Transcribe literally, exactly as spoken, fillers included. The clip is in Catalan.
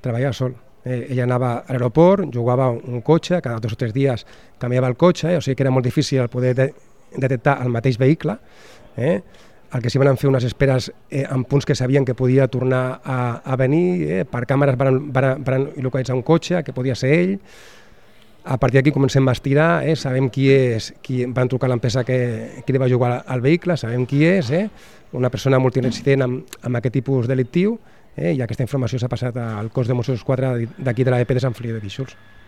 treballava sol. Eh, ella anava a l'aeroport, jugava un cotxe, cada dos o tres dies canviava el cotxe, eh? O sigui que era molt difícil el poder de detectar el mateix vehicle. Eh? El que sí van fer unes esperes eh, en punts que sabien que podia tornar a, a venir, eh? Per càmeres van, van, van localitzar un cotxe, que podia ser ell. A partir d'aquí comencem a estirar, eh? Sabem qui és, qui van trucar a l'empresa que, que li va jugar al vehicle, sabem qui és, eh? Una persona multireincident amb, amb aquest tipus delictiu, eh? I aquesta informació s'ha passat al cos de Mossos d'Esquadra d'aquí de l'E P de Sant Feliu de Guíxols.